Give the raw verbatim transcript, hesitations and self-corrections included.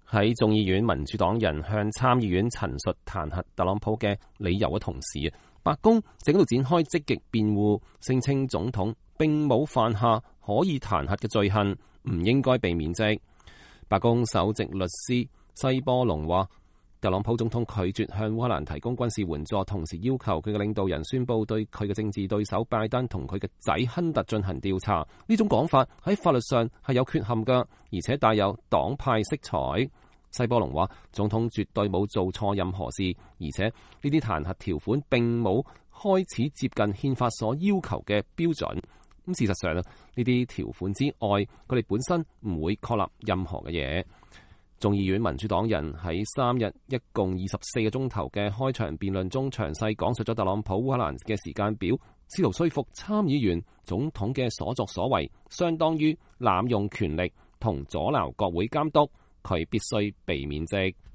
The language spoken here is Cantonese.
喺眾議院民主黨人向參議院陳述彈劾特朗普嘅理由嘅同時，白宮正喺度展開積極辯護，聲稱總統並冇犯下可以彈劾嘅罪行，唔應該被免職。白宮首席律師西波隆話，特朗普總統拒絕向烏克蘭提供軍事援助，同時要求佢嘅領導人宣布對佢嘅政治對手拜登同佢嘅仔亨特進行調查。呢種講法喺法律上係有缺陷㗎，而且帶有黨派色彩。西波隆話，總統絕對冇做錯任何事，而且呢啲彈劾條款並冇開始接近憲法所要求嘅標準。咁事實上呢啲條款之外，佢哋本身唔會確立任何嘅嘢。眾議院民主黨人喺三日一共二十四個鐘頭嘅開場辯論中，詳細講述咗特朗普烏克蘭嘅時間表，試圖說服參議員總統嘅所作所為相當於濫用權力同阻撓國會監督，佢必須被免職。